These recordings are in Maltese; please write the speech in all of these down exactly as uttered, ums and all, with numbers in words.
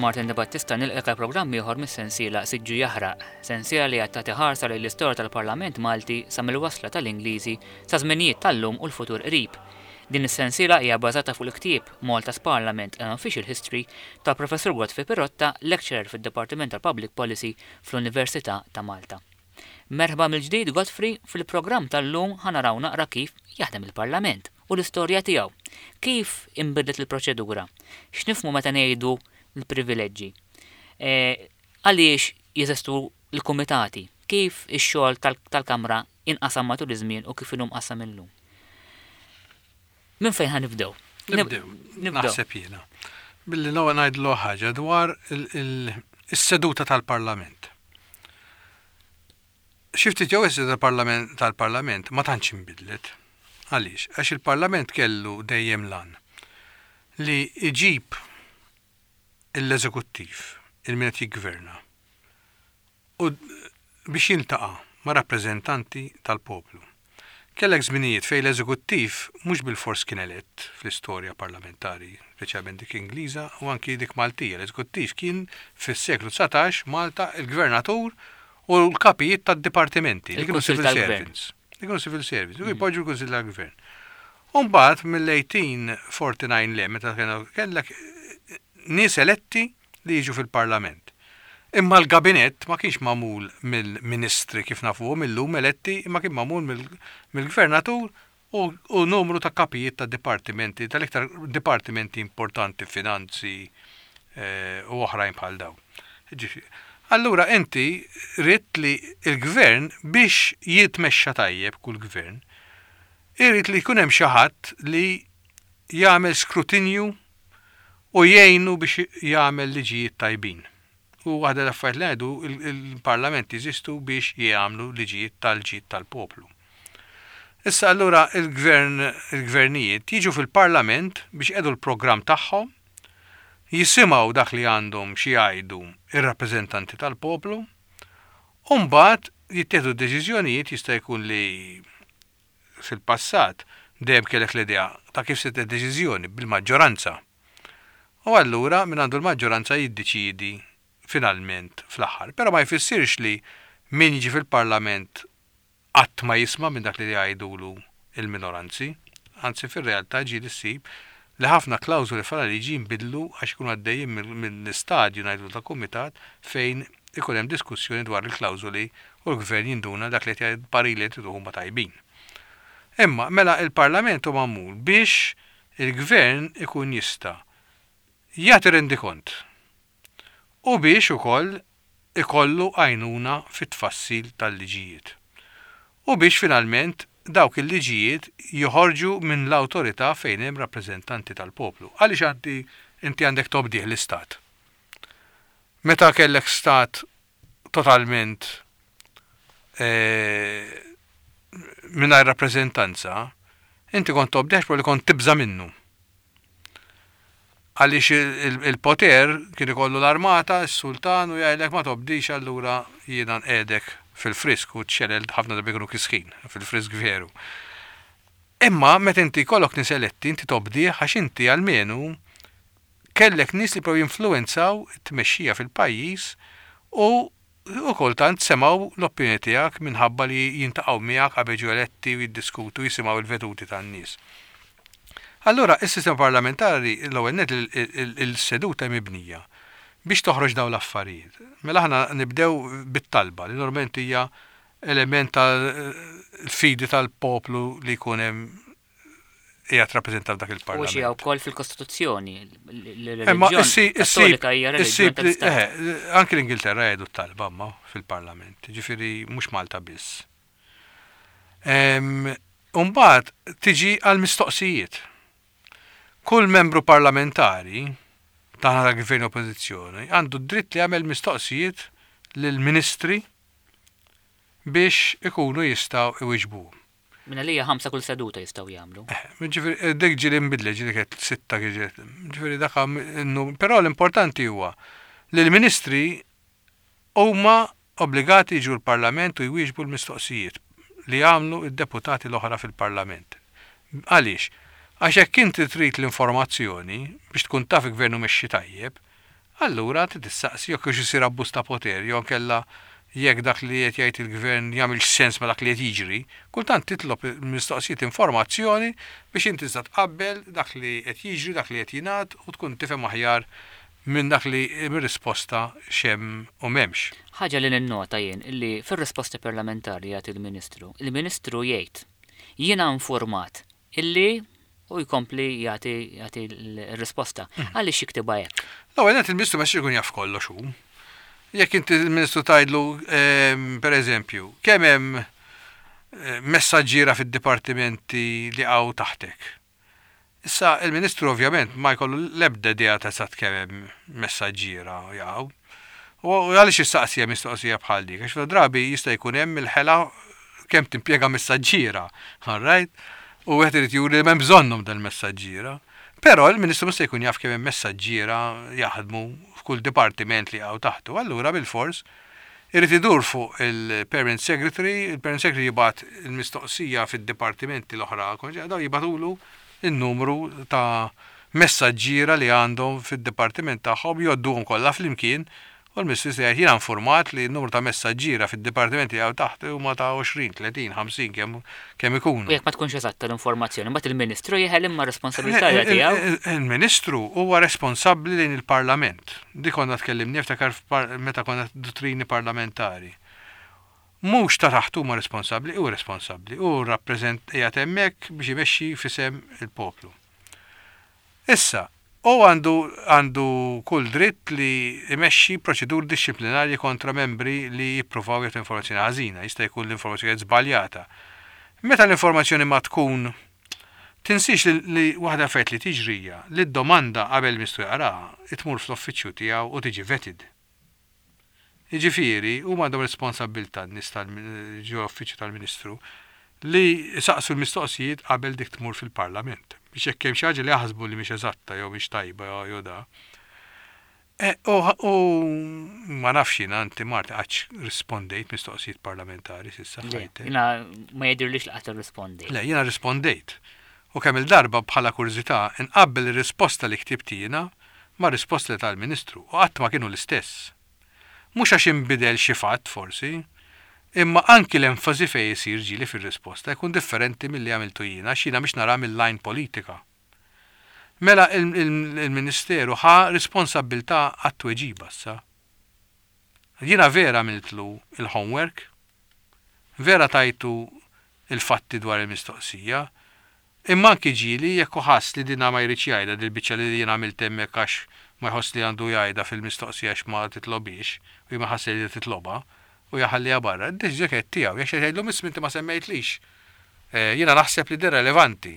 Martin De Battista, nilqgħek għal programm ieħor mis-sensiela Siġġu Jaħraq, sensiela li qed tagħti ħarsa lejn l-istorja tal-Parlament Malti sa mill-wasla tal-Ingliżi sa żminijiet tal-lum u l-futur qrib. Din is-sensiela hija bbażata fuq il-ktieb Malta's Parliament and Official History tal-Professur Godfrey Pirotta, lecturer fid-Dipartiment tal-Public Policy fl-Università ta' Malta. Merħba mill-ġdid, Godfrey. Fil-programm tal-lum ħa naraw naqra kif jaħdem il-Parlament u l-istorja tiegħu. Kif inbidlet il-proċedura? X'nifhmu meta ngħidu l-privileġġi? E, għaliex jeżistu l-kumitati? Kif ix-xogħol tal-Kamra inqasam matul iż-żmien u kif inhu mqassam illum? Minn fejn ħa nibdew? Nibdew. Naħseb jiena billi l-ewwel ngħidlu ħaġa dwar is-seduta tal-Parlament. Xi ftit jew is-seduta tal-Parlament ma tantx inbidlet. Għaliex? Għax il-Parlament kellu dejjem l-għan li iġib l-eżekuttiv, il-min qed jiggverna, u biex jiltaqa' ma' rappreżentanti tal-poplu. Kellek żminijiet fejn l-eżekuttiv mhux bil-fors kien elett fl-istorja parlamentari, speċjalment dik Ingliża u anki dik Maltija. L-eżekuttiv kien fis-seklu dsatax Malta il-gvernatur u l-kapijiet tad-dipartimenti, li kienu civil servants. Li kienu civil servants, u jpoġġu l-Kunsill tal-Gvern. Umbagħad mill-eighteen forty-nine le, meta kellek nies eletti li jiġu fil-Parlament. Imma l-gabinett ma kienx magħmul mill-ministri kif nafuhom illum eletti, imma kien magħmul mill-gvernatur u numru ta' kapijiet ta' dipartimenti, tal-iktar dipartimenti importanti, finanzi eh, u oħrajn bħal dawn. Allura inti ridt li il-gvern, biex jitmexxa tajjeb kull gvern, irid li jkun hemm xi ħadd li jagħmel skrutinju u jgħinu biex jagħmel liġijiet tajbin. U waħda l-affarijiet li ngħidu, il-parlament jeżistu biex jagħmlu liġijiet tal-ġid tal-poplu. Issa allura il-gvern, il-gvernijiet jiġu fil-parlament biex jgħidu l-programm tagħhom, jisimgħu dak li għandhom xi jgħidu ir-rappreżentanti tal-poplu, u mbagħad jittieħdu deċiżjonijiet. Jista' jkun li fil-passat dejjem kellek l-idea ta' kif se deċiżjoni bil-maġġoranza. U allura min għandu l-maġġoranza jiddeċidi finalment fl-aħħar. Però ma jfissirx li min jiġi fil-parlament qatt ma jisma' minn dak li jgħidulu il-minoranzi. Anzi, fir-realtà ġieli ssib li ħafna klawżoli fil-liġi jinbidlu għax ikunu għaddejjin mill-istadju, ngħidu, ta' kumitat fejn ikun hemm diskussjoni dwar il-klawżoli u l-gvern jinduna dak li qed parili li huma tajbin. Imma mela il-Parlament hu magħmul biex il-gvern ikun jista' jagħti rendikont u biex ukoll ikollu għajnuna fit-tfassil tal-liġijiet. U biex finalment dawk il-liġijiet joħorġu minn l-awtorità fejn hemm rappreżentanti tal-poplu. Għaliex għanti inti għandek tobdih l-istat? Meta kellek stat totalment eh, mingħajr rappreżentanza, inti kont tobdih li kont tibża minnu. Għaliex il-poter kien ikollu l-armata, s-sultan, u jgħidlek ma tobdix, allura jiena nqegħdek fil-frisk, u ċ-ċelel ħafna drabi kienu kisħin, fil-frisk veru. Imma meta inti jkollok nies eletti, inti tobdih għax inti almenu kellek nies li prow jinfluenzaw it-tmexxija fil-pajjiż u u kultant semgħu l-opinjoni tiegħek minħabba li jiltaqgħu miegħek qabel ġew eletti u jiddiskutu, jisimgħu il-veduti tan-nies. Allura, is-sistema parlamentari, l-ewwel net il-seduta mibnija biex toħroġ dawn l-affarijiet. Mela aħna nibdew bit-talba li normalment hija element tal-fidi tal-poplu li jkun hemm qiegħed rappreżentat dak U il-parlament. xi wkoll fil-Kostituzzjoni. Imma L-reliġjon issi- Kattolika hija issib reliġjon li- tal-Istat. eh, anki l-Ingilterra jgħidu t-talba ma fil-parlament, ġifieri mhux Malta biss. Umbagħad tiġi għal mistoqsijiet. Kull membru parlamentari taħna ta' gvern, oppożizzjoni għandu dritt li jagħmel mistoqsijiet lill-ministri biex ikunu jistgħu iwiġbu. Minna li ħamsa kull seduta jistgħu jagħmlu. Ġifieri, eh, dik ġieli nbidlet, ġieli kienet sitta ġieli. Ġifieri dak innu, però l-importanti huwa li l-ministri huma obbligati jiġu l-Parlament u jwieġbu l-mistoqsijiet li jagħmlu id-deputati l-oħra fil-Parlament. Għaliex? Għax hekk inti trid l-informazzjoni biex tkun taf il-gvernu mexxi tajjeb, Allura trid tistaqsi jekk hux isir abbuż ta' poter, jew kella jekk dak li qed jgħid il-gvern jagħmilx sens ma' dak li qed jiġri, kultant titlob mistoqsijiet informazzjoni biex inti tista' tqabbel dak li qed jiġri, dak li qed jingħad u tkun tifhem aħjar minn dak li mir-risposta x'hemm u m'hemmx. Ħaġa li ninnota jien illi fir-risposta parlamentari jagħti il-Ministru, il-Ministru jgħid jiena informat illi u jkompli jagħti jagħti l-risposta. Għaliex jiktibha hekk? L-ewwel nett il-Ministru ma jkun jaf kollox hu. Jekk inti il-Ministru tgħidlu ehm, per eżempju, kemm hemm eh, messaġġiera fid-dipartimenti li hawn taħtek. Issa il-Ministru ovvjament ma jkollu l-ebda idea ta' eżatt kemm hemm messaġġiera jaqgħu. U għaliex jistaqsija mistoqsija bħal dik? Għax drabi jista' jkun hemm il-ħela kemm timpjega messaġġiera, all right? U wieħed irid juri li m'hemm bżonnhom dal-messaġġiera. Però il-Ministru mhux se jkun jaf kemm hemm messaġġiera jaħdmu f'kull dipartiment li hawn taħtu. Allura bil-fors irid idur fuq il-Permanent Secretary, il-Permanent Secretary jibgħat il-mistoqsija fid-dipartimenti l-oħra, daw jibagħtulu il-numru ta' messaġġiera li għandhom fid-dipartiment tagħhom jgħodduhom kollha flimkien u l-Ministru se jgħid jiena informat li n-numru ta' messaġġiera fid-dipartimenti hawn taħt huma ta' għoxrin, tletin, ħamsin kemm kemm ikunu. U jekk ma tkunx eżatta l-informazzjoni, mbagħad il-Ministru jeħel imma responsabilità tiegħu. Il-Ministru huwa responsabbli lejn il-Parlament. Di konna tkellimni niftakar meta konna dottrini parlamentari. Mhux ta' taħt huma responsabbli, hu responsabbli, hu rappreżent qiegħed hemmhekk biex imexxi f'isem il-poplu. Issa, u għandu għandu kull dritt li imexxi proċeduri dixxiplinarji kontra membri li jippruvaw jagħtu informazzjoni ħażina, jista' jkun l-informazzjoni żbaljata. Meta l-informazzjoni ma tkun tinsiex li, li waħda affarijiet li tiġrija li d-domanda qabel Ministru jaqraha tmur fl-uffiċċju tiegħu u tiġi vetted. Jiġifieri huma għandhom responsabbiltà n-nies tal-ġo uffiċċju tal-Ministru li saqsu l-mistoqsijiet qabel dik tmur fil-Parlament. Biex jekk hemm xi ħaġa li jaħsbu li mhix eżatta jew mhix tajba jew da. E, U u ma nafx jiena inti Marti qattx rispondejt mistoqsijiet parlamentari s'issa Le, ħajtek. Jiena ma jidhirlix li qatt irrispondejt. Le, jiena rispondejt. U kemm il-darba bħala kurżità inqabbel ir-risposta li ktibt jiena ma' risposta li tal-Ministru u qatt ma kienu l-istess. Mhux għax inbidel xi fatt forsi, imma anki l-enfasi fejn isir ġieli fir-risposta jkun differenti milli għamiltu jiena għax jiena biex nara mill-line politika. Mela il- il- il-Ministeru ħa responsabbiltà għat-tweġiba issa. Jiena vera għamiltlu il-homework, vera tajtu il-fatti dwar il-mistoqsija, imma anki ġieli jekk hu ħass li dina ma jridx jgħidha dil-biċċa li jiena għamilt hemmhekk għax ma jħoss li għandu jgħidha fil-mistoqsija għax ma titlobix, u ma ħass li titlobha, u jaħalliha barra. Id-deċiżjoni kienet tiegħu, jekk jgħidlu miss inti ma semmejtlix. Eh, Jiena naħseb li din relevanti.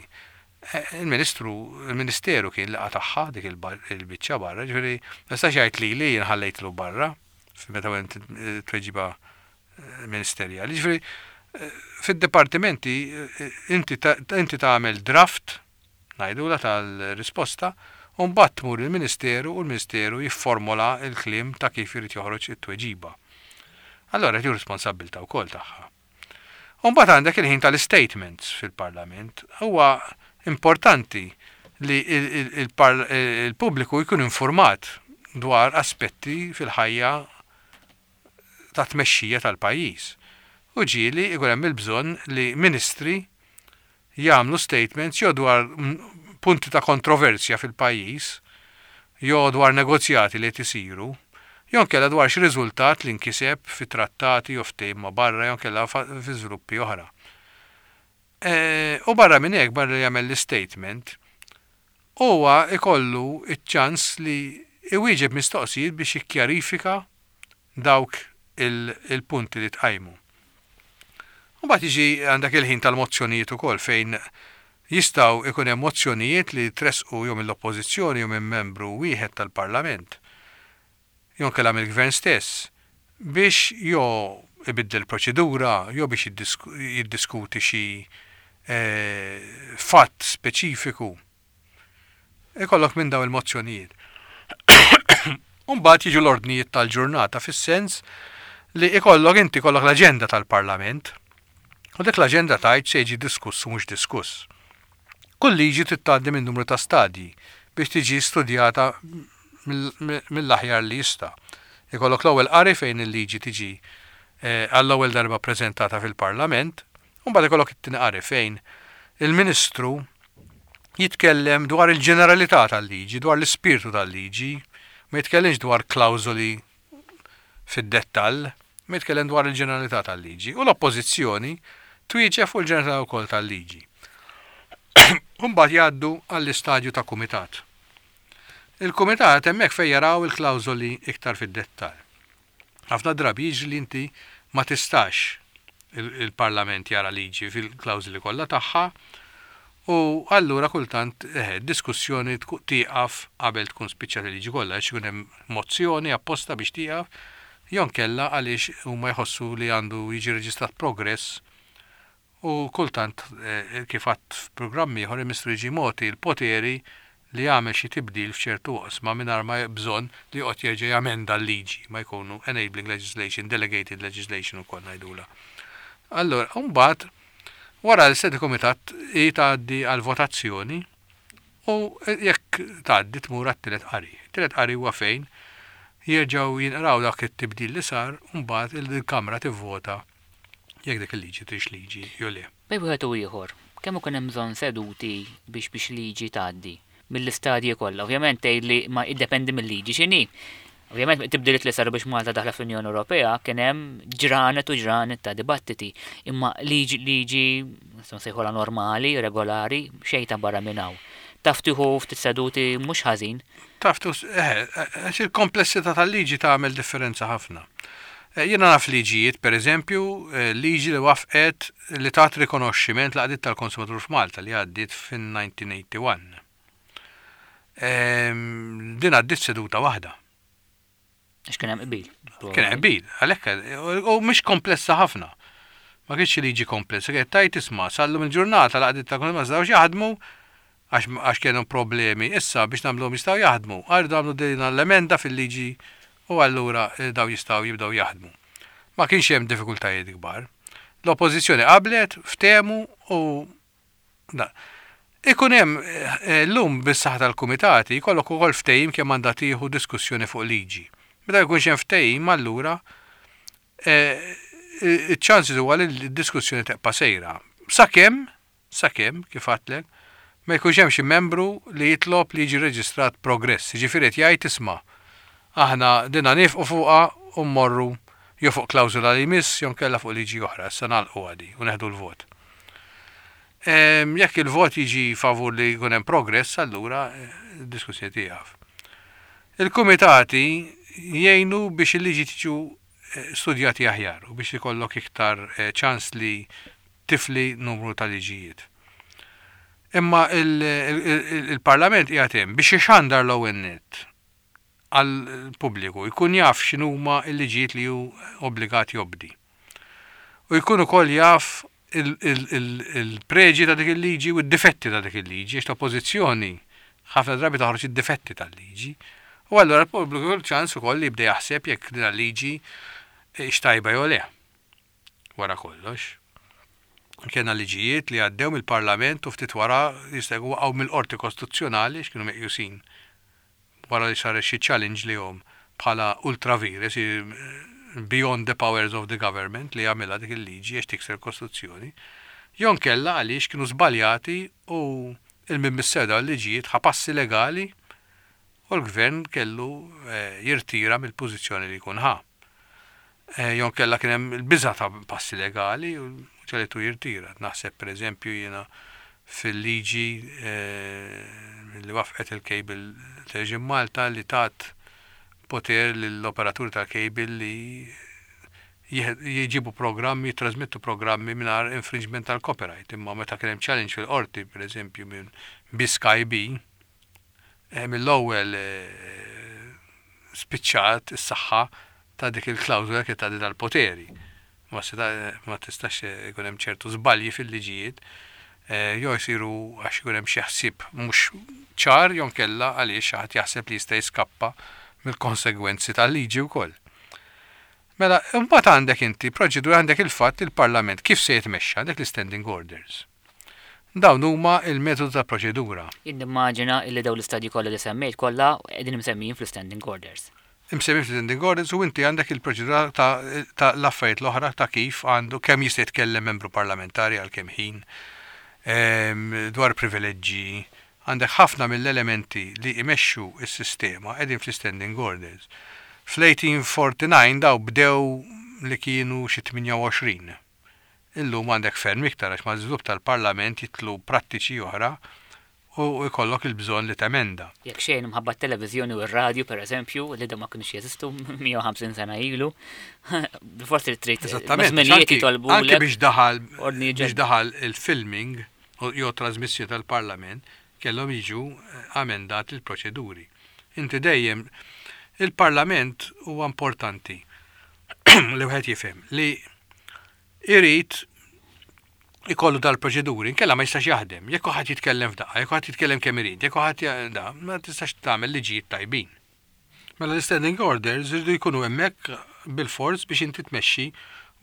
Eh, Il-Ministru, il-Ministeru kien li qatagħha dik il-bar- il-biċċa barra, ġifieri ma jistax jgħid li li jien ħallejtlu barra meta għent tweġiba eh, ministerjali. Ġifieri eh, fid-dipartimenti eh, inti ta- inti tagħmel draft ngħidula tal-risposta u mbagħad tmur il-Ministeru u l-Ministeru jifformola il-kliem ta' kif irid joħroġ it-tweġiba. Allora jieħu responsabbiltà wkoll tagħha. U mbagħad għandek il-ħin tal-statements fil-Parlament. Huwa importanti li il- il- il-par- il-pubbliku jkun informat dwar aspetti fil-ħajja ta' tmexxija tal-pajjiż. U ġieli ikun hemm il-bżonn li ministri jagħmlu statements jew dwar mm, punti ta' kontroversja fil-pajjiż, jew dwar negozjati li qed isiru, jew inkella dwar xi riżultat li nkiseb fi trattati jew ftehim ma' barra jew inkella fa- fi żviluppi oħra. E, U barra minn hekk barra li jagħmel l-statement, huwa ikollu iċ-ċans li iwieġeb mistoqsijiet biex jikkjarifika dawk il- il-punti li tqajmu. U mbagħad jiġi għandek il-ħin tal-mozzjonijiet ukoll fejn jistgħu ikun hemm mozzjonijiet li tresqu jew mill-oppożizzjoni jew minn membru wieħed tal-Parlament jew inkella mill-gvern stess biex jew ibiddel proċedura jew biex jiddisku- jiddiskuti xi eh, fatt speċifiku. Ikollok minn daw il-mozzjonijiet. Umbagħad jiġu l-ordnijiet tal-ġurnata fis-sens li ikollok inti kollok l-aġenda tal-Parlament u dik l-aġenda tgħid se jiġi diskuss u mhux diskuss. Kull liġi trid tgħaddi minn numru ta' stadji biex tiġi studjata mill-aħjar li jista'. Ikollok l-ewwel qari fejn il-liġi tiġi eh, għall-ewwel darba preżentata fil-Parlament, u mbagħad ikollok it-tieni qari fejn il-Ministru jitkellem dwar il-ġeneralità tal-liġi, dwar l-ispirtu tal-liġi, ma jitkellimx dwar klawżoli fid-dettall, ma jitkellem dwar il-ġeneralità tal-liġi. U l-oppożizzjoni twieġeb fuq il-ġeneralità wkoll tal-liġi. Mbagħad jgħaddu għall-istadju ta' kumitat. Il-kumitat hemmhekk fejn jaraw il-klawżoli iktar fid-dettall. Ħafna drabi jiġri li inti ma tistax il-Parlament jara liġi fil-klawżoli kollha tagħha u allura kultant eh, diskussjoni tieqaf qabel tkun spiċċat il-liġi kollha, għax ikun hemm mozzjoni apposta biex tieqaf, jew inkella għaliex huma jħossu li għandu jiġi reġistrat progress u kultant eh, kif għadt f'programmi ieħor il-Ministru jiġi mogħti l-poteri li jagħmel xi tibdil f'ċertu oqsma mingħajr ma bżonn li joqgħod jerġa' jamenda l-liġi, ma jkunu enabling legislation, delegated legislation ukoll ngħidula. Allora, mbagħad wara l-sede komitat hi tgħaddi għal votazzjoni u jekk tgħaddi tmur għat-tielet qari. Tielet qari huwa fejn jerġgħu jinqraw dak it-tibdil li sar u mbagħad il-Kamra tivvota jekk dik il-liġi tix liġi jew le. Bejn wieħed u ieħor, kemm ikun hemm bżonn seduti biex biex liġi tgħaddi mill-istadji kollha? Ovvjament tgħid li ma jiddependi mill-liġi x'inhi. Ovvjament tibdiliet li saru biex Malta daħla fl-Unjoni Ewropea kien hemm ġranet u ġranet ta' dibattiti, imma liġi liġi nistgħu nsejħulha normali, regolari, xejn ta' barra minn hawn. Taf tieħu ftit seduti mhux ħażin. Taf eh, għax il-komplessità tal-liġi tagħmel differenza ħafna. Eh, jiena naf liġijiet, per eżempju, eh, liġi li wafqet li tat rikonoxximent l-għaqdiet tal-konsumatur f'Malta li għaddiet fin-elf disa' mija u wieħed u tmenin. Ehm, din għaddiet seduta waħda. Għax kien hemm qbil. Kien hemm qbil, għalhekk u mhix komplessa ħafna. Ma kienx liġi komplessa, kienet tajt isma' sallum il-ġurnata l-għaqdiet tal-konsumatur ma setgħux jaħdmu għax kienu problemi. Issa biex nagħmluhom jistgħu jaħdmu. Għardu għamlu din l-emenda fil-liġi u allura eh, daw jistgħu jibdew jaħdmu. Ma kienx hemm diffikultajiet kbar. L-oppożizzjoni qablet, ftehmu u da. Ikun hemm eh, llum bis-saħħa tal-kumitati jkollok ukoll ftehim kemm għandha tieħu diskussjoni fuq liġi. Meta jkunx hemm ftehim allura eh, iċ-ċansi huwa li d-diskussjoni tibqa' sejra. Sakemm, sakemm kif għedtlek, ma jkunx hemm xi membru li jitlob li jiġi reġistrat progress, jiġifieri qed jgħid isma' aħna dinna nifqu fuqha u mmorru jew fuq klawżola li jmiss jew nkella fuq liġi oħra, issa nagħlqu għadi u neħdu l-vot. Jekk il-vot jiġi favur li jkun hemm progress, allura eh, diskussjoni tieqaf. Il-kumitati jgħinu biex il-liġi tiġu eh, studjati aħjar u biex ikollok iktar eh, ċans li tifli numru ta' liġijiet. Imma il-Parlament qiegħed hemm biex ixandar l-ewwel nett għall-pubbliku, jkun jaf x'inhuma l-liġijiet li hu obbligat jobdi. U jkun ukoll jaf il-preġi ta' dik il-liġi u d-difetti ta' dik il-liġi, għax l-oppożizzjoni ħafna drabi toħroġ id-difetti tal-liġi. U allura l-pubbliku jkollu ċans ukoll li jibda jaħseb jekk din il-liġi x'tajba jew le. Wara kollox. Kellna liġijiet li għaddew mill-Parlament u ftit wara jista' jkun waqgħu mill-Qorti Kostituzzjonali x'kienu meqjusin wara li sar xi challenge li jom bħala ultra vires, beyond the powers of the government li jagħmilha dik il-liġi għax tikser kostituzzjoni. Jew inkella għaliex kienu żbaljati u il-min misseda l-liġijiet ħa passi legali u l-gvern kellu eh, jirtira mill-pożizzjoni li jkun ħa. Eh, jew inkella kien hemm il-biża ta' passi legali u ġagħlitu jirtira. Naħseb pereżempju jiena fil-liġi eh, li wafqet il-cable television Malta li tat poter l-operatur tal-cable li jġibu programmi, jitrasmettu programmi mingħajr infringement tal-copyright. Imma meta kien hemm challenge fil-qorti, per eżempju, minn Sky B, eh, mill-ewwel eh, spiċċat is-saħħa ta' dik il-klawżola kien ta' dal-poteri. Ma tistax ikun hemm ċertu żbalji fil-liġijiet eh, jew jsiru għax ikun hemm xi ħsieb mhux ċar jew inkella għaliex xi ħadd jaħseb li jista' jiskappa mill-konsegwenzi tal-liġi wkoll. Mela, imbagħad għandek inti proċedura, għandek il-fatt il-Parlament kif se jitmexxa, għandek l-standing orders. Dawn huma il-metodu ta' proċedura. Jien nimmaġina illi dawn l-istadji kollha li semmejt kollha qegħdin imsemmijin fl-standing orders. Imsemmi fl-standing orders u inti għandek il-proċedura ta', ta l-affarijiet l-oħra ta' kif għandu kemm jista' jitkellem membru parlamentari għal kemm ħin, em, dwar privileġġi, għandek ħafna mill-elementi li imexxu s-sistema qegħdin fl-standing orders. Fl-eighteen forty-nine daw bdew li kienu xi tmienja u għoxrin. Illum għandek ferm iktar għax mal-żvilupp tal-parlament jidħlu prattiċi oħra u jkollok il-bżonn li temenda. Jekk xejn mħabba t-televiżjoni u r-radju, per eżempju, li da ma kienux jeżistu mija u ħamsin sena ilu, forsi trid Eżattament. żminijiet Anki, jitolbu anki biex daħal ordni biex ġedda. daħal il-filming u jew trasmissjoni tal-parlament kellhom jiġu eh, amendati il-proċeduri. Inti dejjem il-parlament huwa importanti li wieħed jifhem li irid ikollu dal-proċeduri, inkella ma jistax jaħdem. Jekk ħadd jitkellem f'daqqa, jekk ħadd jitkellem kemm irid, jekk ħadd ja- da, ma tistax tagħmel liġijiet tajbin. Mela l-standing orders iridu jkunu hemmhekk bil-fors biex inti tmexxi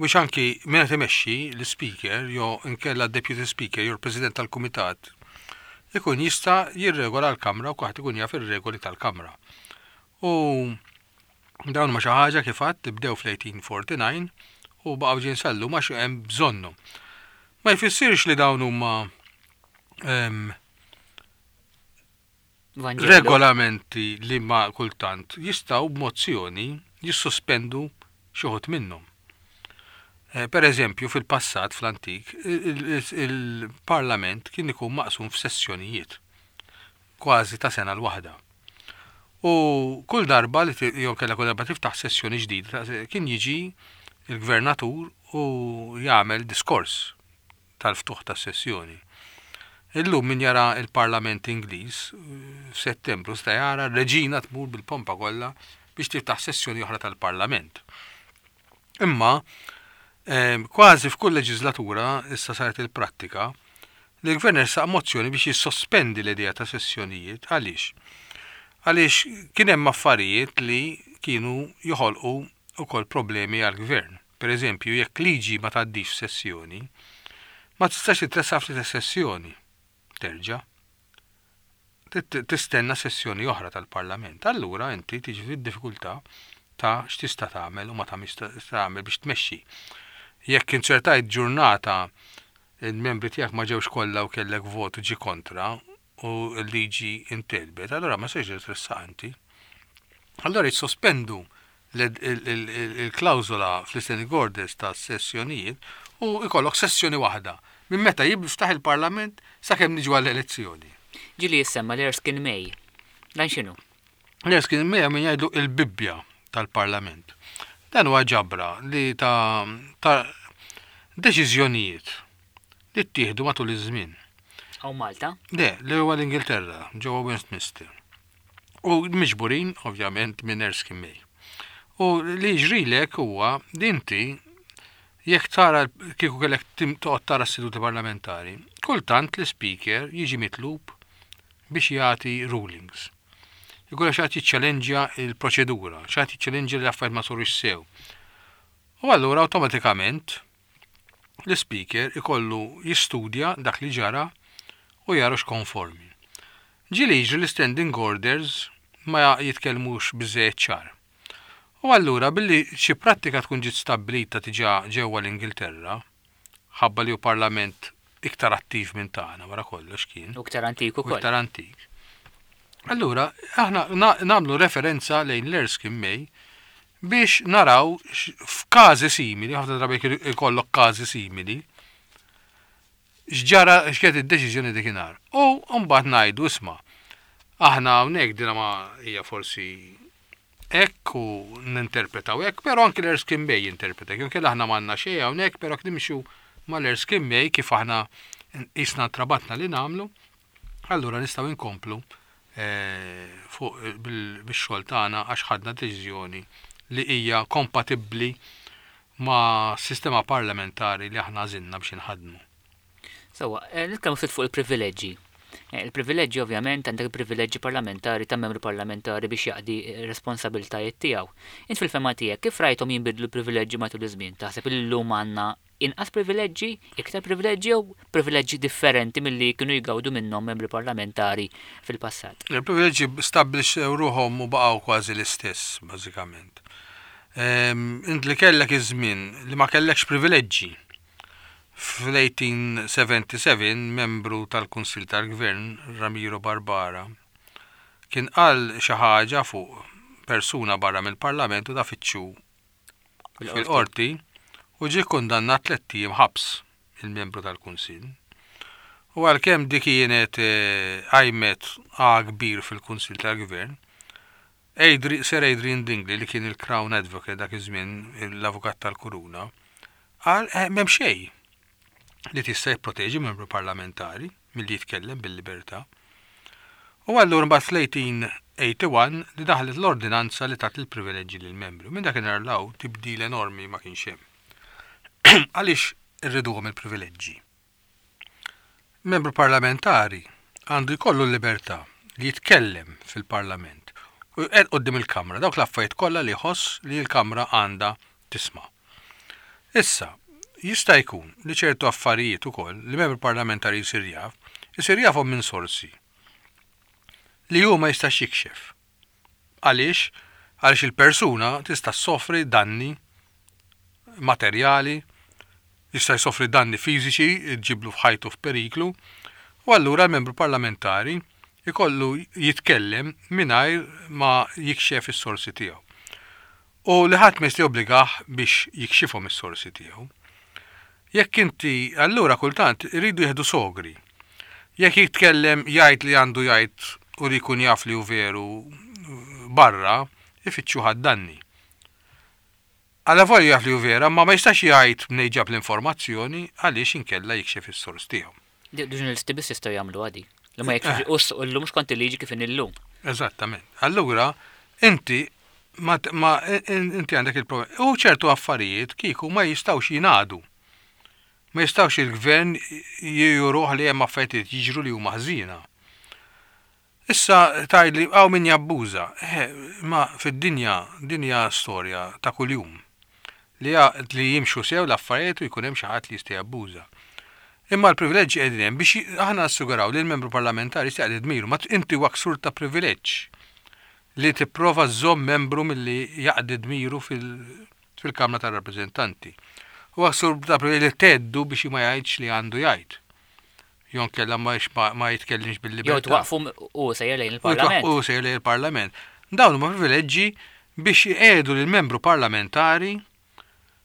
biex anki minn qed imexxi l-speaker jew inkella deputy speaker jew l-president tal-kumitat ikun jista' jirregola l-kamra u kulħadd ikun jaf ir-regoli tal-kamra. U dawn ma xi ħaġa kif għedt bdew fl-eighteen forty-nine u baqgħu ġejjin sal-lum għax hemm bżonnhom. Ma jfissirx li dawn huma em, Vanġelu. regolamenti li ma kultant jistgħu b'mozzjoni jissospendu xi wħud minnhom. Eh, Per eżempju, fil-passat, fl-antik, il- il- il-parlament kien ikun maqsum f'sessjonijiet, kważi ta' sena l-waħda. U kull darba li ti- jew kellha kull darba tiftaħ sessjoni ġdida, kien jiġi il-gvernatur u jagħmel diskors tal-ftuħ tas-sessjoni. Illum min jara il-Parlament Ingliż eh, f'Settembru sta jara r-reġina tmur bil-pompa kollha biex tiftaħ sessjoni oħra tal-Parlament. Imma eh, kważi f'kull leġislatura issa saret il-prattika li l-gvern ressaq mozzjoni biex jissospendi l-idea ta' sessjonijiet. Għaliex? Għaliex kien hemm affarijiet li kienu joħolqu ukoll problemi għall-gvern. Per eżempju, jekk liġi ma tgħaddix f'sessjoni, ma tistax titressaq fl sessjoni. Terġa'. Tit- Tistenna sessjoni oħra tal-Parlament. Allura inti tiġi fid-diffikultà ta' x'tista' tagħmel u ma tagħmilx tagħmel biex tmexxi. Jekk inċertajt ġurnata il-membri tiegħek ma ġewx kollha u kellek votu ġi kontra u l-liġi intelbet, allura ma sejx tressaq inti. Allora jissospendu il-klawżola fl-standing orders ta' sessjonijiet u ikollok sessjoni waħda minn meta jiftaħ il-Parlament sakemm niġu għall-elezzjoni. Ġieli jissemma l-Erskine May. Dan x'inhu? L-Erskine May min jgħidu il-Bibbja tal-Parlament. Dan huwa ġabra li ta', ta deċiżjonijiet li ttieħdu matul iż-żmien. Hawn Malta? Le, li huwa l-Ingilterra, ġewwa Westminster. U miġburin, ovvjament, minn Erskine May. U li jiġrilek huwa li inti jekk tara kieku kellek tim- toqgħod tara s-seduti parlamentari, kultant l-speaker jiġi mitlub biex jagħti rulings. Jkun xi ħadd jiċċellenġja il-proċedura, xi ħadd jiċċellenġja li affarijiet ma sarux sew. U allura awtomatikament l-speaker ikollu jistudja dak li ġara u jara x'konformi. Ġieli jiġri l-standing orders ma jitkellmux biżejjed ċar. U allura billi xi prattika tkun ġiet stabbilita diġà ġewwa l-Ingilterra, ħabba li hu parlament iktar attiv minn tagħna wara kollox kien. U iktar antik U ukoll. iktar antik. Allura, aħna na- nagħmlu referenza lejn l-Erskine May biex naraw x- f'każi simili, ħafna drabi jekk ikollok każi simili, x'ġara x'kienet id-deċiżjoni dikinhar. U mbagħad ngħidu, isma', aħna hawnhekk dina ma hija forsi hekk u ninterpretaw hekk, però anki l-Erskine May jinterpreta. Jew inkella aħna m'għandna xejn hawnhekk, però nimxu mal-Erskine May kif aħna isna trabatna li nagħmlu, allura nistgħu nkomplu eh, fuq bil- bix-xogħol tagħna għax ħadna deċiżjoni li hija kompatibbli ma' sistema parlamentari li aħna għażilna biex inħadmu. Sewwa, eh, nitkellmu ftit fuq il-privileġġi. Eh, il-privileġġi, ovvjament, għandek privileġġi parlamentari ta' membru parlamentari biex jaqdi responsabiltajiet tiegħu. Int fil-fehma tiegħek kif rajthom jinbidlu l-privileġġi matul iż-żmien? Taħseb illum għandna inqas privileġġi, iktar privileġġi jew privileġġi differenti milli kienu jgawdu minnhom membri parlamentari fil-passat? Il-privileġġi stabbilixxew ruħhom u baqgħu kważi l-istess, bażikament. Int li kellek iż-żmien li ma kellekx privileġġi. Fl-elf disa' mija u sebgħa u sebgħin membru tal-Kunsil tal-Gvern, Ramiro Barbara, kien qal xi ħaġa fuq persuna barra mill-Parlament u da fittxu fil-qorti u ġie kundannat tlett ijiem ħabs il-membru tal-Kunsil. U għalkemm dik kienet eh, qajmet għagħa kbir fil-Kunsil tal-Gvern, Adri, Sir Adrian Dingley, li kien il-Crown Advocate dak iż-żmien, l-avukat tal-Kuruna, qal eh, m'hemm xejn li tista' jipproteġi membru parlamentari milli jitkellem bil-libertà. U allura mbagħad fl-elf disa' mija u wieħed u tmenin li daħlet l-ordinanza li tat il-privileġġi lill-membri. Minn dakinhar 'l hawn tibdil enormi ma kienx hemm. Għaliex irriduhom il-privileġġi? Membru parlamentari għandu jkollu l-libertà li jitkellem fil-parlament u jqed quddiem il-Kamra dawk l-affarijiet kollha li jħoss li l-Kamra għandha tisma'. Issa, jista' jkun li ċertu affarijiet ukoll li membru parlamentari jsir jaf, isir jafhom minn sorsi li hu ma jistax jikxef. Għaliex? Għaliex il-persuna tista' soffri danni materjali, jista' jsofri danni fiżiċi, ġiblu f'ħajtu f'periklu, u allura l-membru parlamentari ikollu jitkellem mingħajr ma jikxef is-sorsi tiegħu. U li ħadd ma jista' jobbligah biex jikxifhom is-sorsi tiegħu. Jekk inti allura kultant iridu jieħdu sogri. Jekk jitkellem, jgħid li għandu jgħid u li jkun jaf li hu veru barra, ifittxu danni. Għalla volja jaf li hu vera, ma ma jistax jgħid mnejn ġab l-informazzjoni għaliex inkella jikxef is-sors tiegħu. Ġurnalisti biss jistgħu jagħmlu għadi. Li ma jekx u llum skont il-liġi kif illum. Eżattament. Allura, inti ma, ma inti għandek il-problema. U ċertu affarijiet kieku ma jistgħux jingħadu. Ma jistgħux il-gvern juruh li hemm affarijiet jiġru li huma ħżiena. Issa tgħidli hawn min jabbuża. Eh, ma fid-dinja, dinja storja ta' kuljum. Li, li jimxu sew l-affarijiet u jkun hemm xi ħadd li jista' jabbuża. Imma l-privileġġi qegħdin hemm biex aħna assiguraw li l-membru parlamentari jista' jaqdi dmiru, ma inti huwa ksur ta' privileġġ li tipprova żżomm membru milli jaqdi dmiru fil-Kamra tar-Rappreżentanti. Huwa ksur ta' privileġġ li theddu biex ma jgħidx li għandu jgħid. Jew inkella ma ma jitkellimx bil-libertà. Jew twaqfu u sejjer lejn il-Parlament. U sejjer lejn il-Parlament. Dawn huma privileġġi biex jgħidu lill-membru parlamentari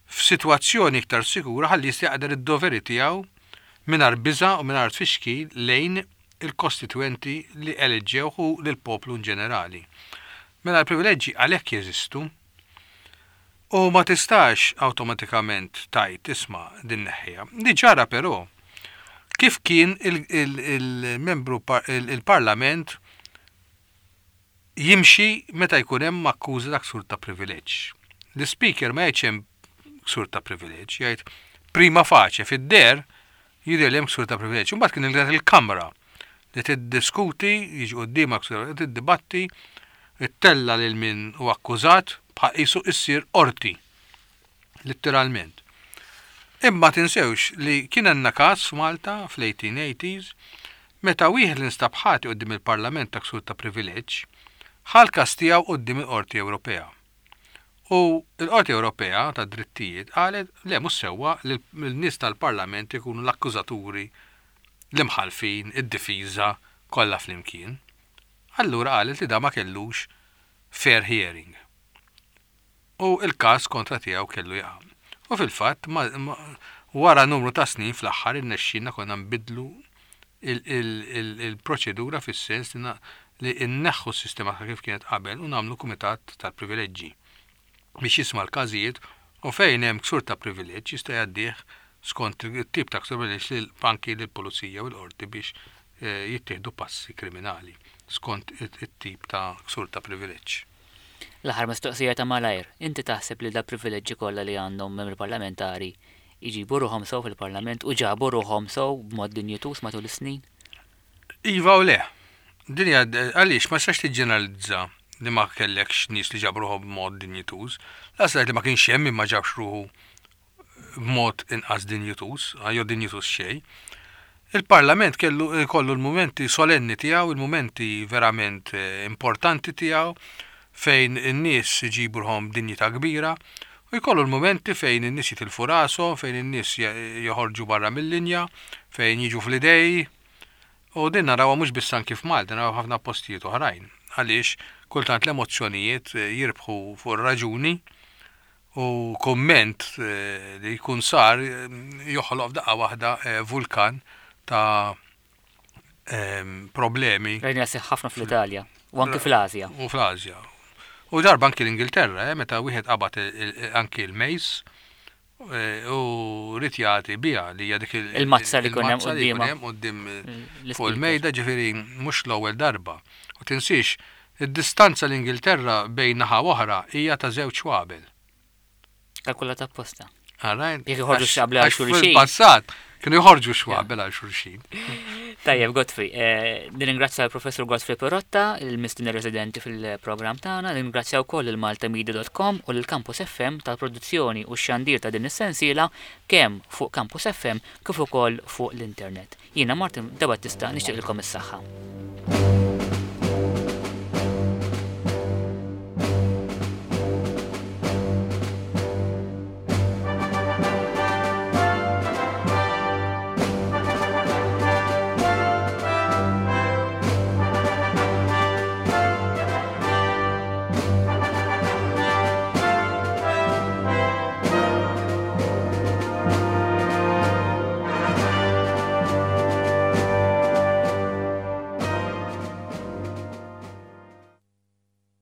f'sitwazzjoni iktar sikura ħalli jista' jaqder id-doveri tiegħu mingħajr biża' u mingħajr tfixkil lejn il-kostituenti li eleġġew u lill-poplu in ġenerali. Mela l-privileġġi għalhekk jeżistu u ma tistax awtomatikament tgħid, "Isma', din neħħiha." Li ġara però kif kien il-membru il-parlament jimxi meta jkun hemm akkuża ta' ksur ta' privileġġ. L-speaker ma jgħidx hemm ksur ta' privileġġ, jgħid prima facie, fid-deher jidher li hemm ksur ta' privileġġ. Imbagħad kien il-Kamra li tiddiskuti, jiġi quddiemha ksur, tiddibatti, ittella lil min hu akkużat bħal qisu issir qorti. Letteralment. Imma tinsewx li kien għandna każ f'Malta fl-eighteen eighties meta wieħed li nstab ħati quddiem il-Parlament ta' ksur ta' privileġġ ħa l-każ tiegħu quddiem il-Qorti Ewropea. U l-Qorti Ewropea ta' Drittijiet qalet le, mhux sewwa li l-nies tal-Parlament ikunu l-akkużaturi, l-imħalfin, id-difiża kollha flimkien. Allura qalet li da ma kellux fair hearing. U il-każ kontra tiegħu kellu jaqa'. U fil-fatt, wara numru ta' snin, fl-aħħar irnexxielna konna nbidlu il-proċedura fis-sens li nneħħu s-sistema ta' kif kienet qabel u nagħmlu kumitat tal-privileġġi biex jisma' l-każijiet u fejn hemm ksur ta' privileġġ jista' jgħaddih skont it-tip ta' ksur privileġġ lil anki lill-pulizija u l-qorti biex eh, jittieħdu passi kriminali skont it-tip ta' ksur ta' privileġġ. L-aħħar mistoqsija ta' malajr, inti taħseb li da privileġġi kollha li għandhom membri parlamentari jġibu ruħhom sew fil-Parlament u ġabu ruħhom sew b'mod dinjituż matul is-snin? Iva u le. Din hija għaliex ma tistax tiġġeneralizza li ma kellekx nies li ġabu ruħhom b'mod dinjituż. Lanqas li ma kienx hemm min ma ġabx ruħu b'mod inqas dinjituż, jew dinjituż xejn. Il-Parlament kellu kollu l-momenti solenni tiegħu, il-momenti verament eh, importanti tiegħu fejn in-nies iġibu ruħhom dinjità kbira u jkollu l-momenti fejn in-nies jitilfu rashom, fejn in-nies joħorġu barra mill-linja, fejn jiġu fl-idej. U din narawha mhux biss anki f'Malta, narawha ħafna postijiet oħrajn. Għaliex kultant l-emozzjonijiet eh, jirbħu fuq ir-raġuni u komment eh, li jkun sar joħloq f'daqqa waħda vulkan ta' problemi. Rajna ħafna fl-Italja u anki fl-Asja. U fl-Asja. U darba anki l-Ingilterra, eh, meta wieħed qabad anki l-mace eh, u ried jagħti biha li hija dik il-mazza li jkun hemm quddiem fuq il-mejda, ġifieri mhux l-ewwel darba. U tinsiex, id-distanza l-Ingilterra bejn naħa oħra hija ta' żewġ xwabel. Kalkulata apposta. Jekk joħorġu xabla għal xulxin. Fil-passat kienu joħorġu xwabel għal xulxin. Tajjeb, Godfrey, eh, nirringrazzja l-Professur Godfrey Perotta, il-mistieden residenti fil-programm tagħna, nirringrazzja wkoll il-maltamedia dot com u l-Campus F M tal-produzzjoni u x-xandir ta' din is-sensiela kemm fuq Campus F M kif ukoll fuq l-internet. Jiena Martin Debattista, nixtieqilkom is-saħħa.